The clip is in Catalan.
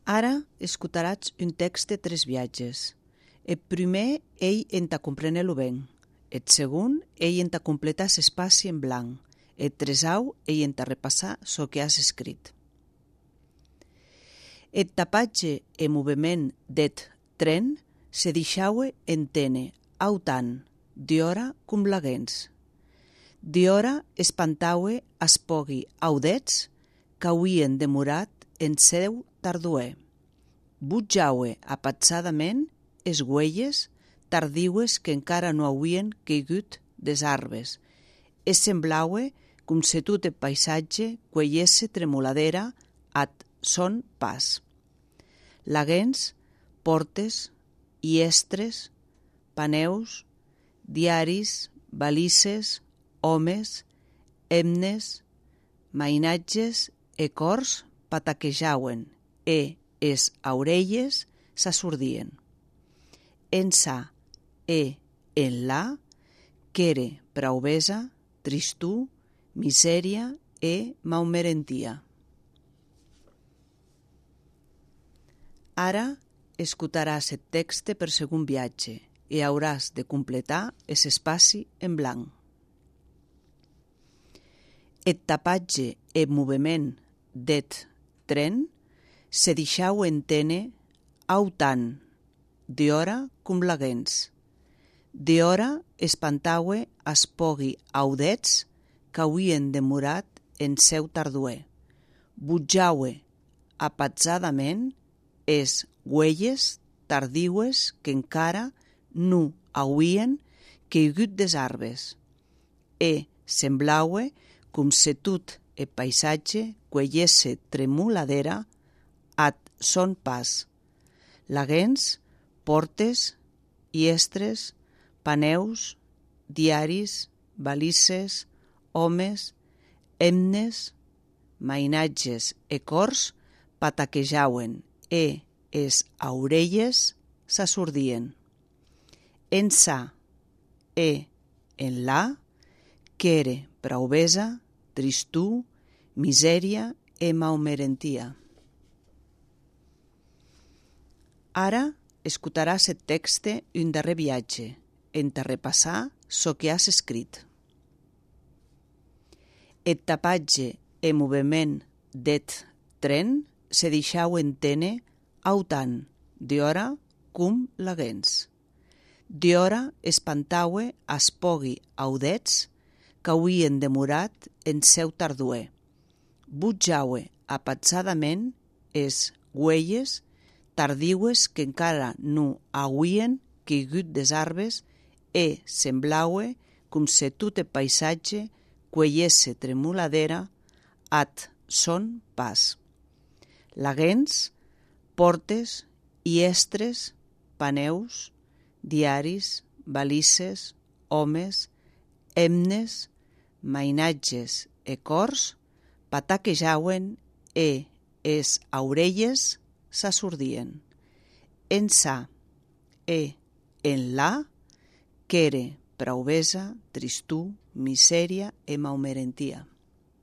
Ara escutaràs un text de 3 viatges. El primer, ell entà comprenir-lo ben. El segon, ell entà completar l'espai en blanc. El tresau, ell entà repassar çò que has escrit. El tapatge e moviment deth tren se deixaue entene autant d'hora com laguens. D'hora espantaue as pògui audets qu'auien demorat en seu tarduer. Butjaue apatzadament es uelles tardiues que encara no auien caigut des arbres. Es semblaue com se tot el paisatge cueiesse tremoladera at son pas. Laguens, portes, iestres, paneus, diaris, balises, homes, hemnes, mainatges e cors pataquejauen e es aurelles s'assordien. Ençà e enlà qu'ère praubesa, tristur, misèria e maumerentia. Ara escutaràs el text per segon viatge e hauràs de completar es espaci en blanc. El tapatge e moviment deth tren se deixaue entene autant d'hora com laguens. D'hora espantaue as pògui audets qu'auien demorat en seu tarduer. Butjaue apatzadament es uelles tardiues que encara non auien caigut des arbres. E semblaue com se tot el paisatge cueiesse tremoladera at son pas. Laguens, portes, iestres, paneus, diaris, balises, homes, hemnes, mainatges e cors pataquejauen e es aurelles s'assordien. Ençà e enlà qu'ère praubesa, tristur, misèria e maumerentia. Ara escutaràs el text un darrer viatge, entà repassar çò que has escrit. El tapatge e moviment deth tren se deixaue entene autant d'hora com laguens. D'hora espantaue as pògui audets qu'auien demorat en seu tarduer. Butjaue apatzadament es uelles tardiues que encara non auien caigut des arbres e semblaue com se tot el paisatge cueiesse tremoladera at son pas. Laguens, portes, iestres, paneus, diaris, balises, homes, hemnes, mainatges e cors pataquejauen e es aurelles s'assordien. Ençà e enlà qu'ère praubesa, tristur, misèria e maumerentia.